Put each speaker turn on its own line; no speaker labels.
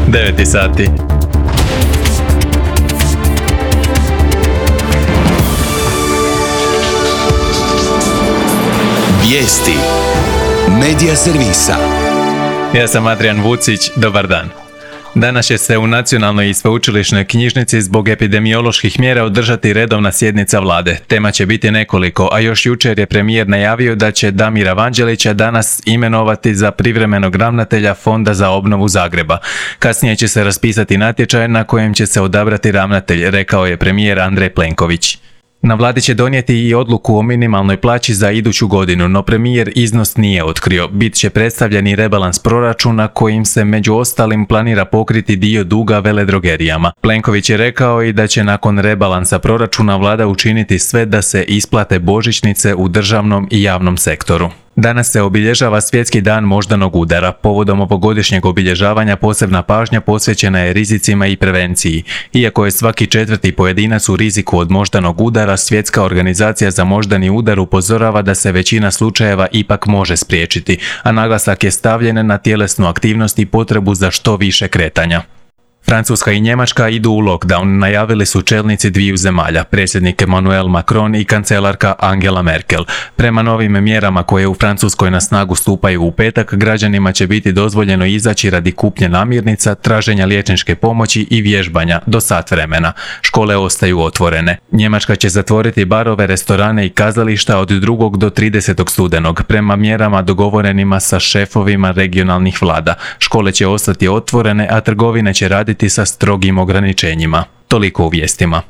9 sati.
Vijesti Medija servisa.
Ja sam Adrian Vucić, dobar dan. Danas će se u Nacionalnoj i sveučilišnoj knjižnici zbog epidemioloških mjera održati redovna sjednica vlade. Tema će biti nekoliko, a još jučer je premijer najavio da će Damira Vanđelića danas imenovati za privremenog ravnatelja Fonda za obnovu Zagreba. Kasnije će se raspisati natječaj na kojem će se odabrati ravnatelj, rekao je premijer Andrej Plenković. Na vladi će donijeti i odluku o minimalnoj plaći za iduću godinu, no premijer iznos nije otkrio. Bit će predstavljen i rebalans proračuna kojim se među ostalim planira pokriti dio duga veledrogerijama. Plenković je rekao i da će nakon rebalansa proračuna vlada učiniti sve da se isplate božićnice u državnom i javnom sektoru. Danas se obilježava Svjetski dan moždanog udara. Povodom ovogodišnjeg obilježavanja posebna pažnja posvećena je rizicima i prevenciji. Iako je svaki 4. pojedinac u riziku od moždanog udara, Svjetska organizacija za moždani udar upozorava da se većina slučajeva ipak može spriječiti, a naglasak je stavljen na tjelesnu aktivnost i potrebu za što više kretanja. Francuska i Njemačka idu u lockdown, najavili su čelnici dviju zemalja, predsjednik Emmanuel Macron i kancelarka Angela Merkel. Prema novim mjerama koje u Francuskoj na snagu stupaju u petak, građanima će biti dozvoljeno izaći radi kupnje namirnica, traženja liječničke pomoći i vježbanja do sat vremena. Škole ostaju otvorene. Njemačka će zatvoriti barove, restorane i kazališta od 2. do 30. studenog, prema mjerama dogovorenima sa šefovima regionalnih vlada. Škole će ostati otvorene, a trgovine će raditi sa strogim ograničenjima. Toliko u vijestima.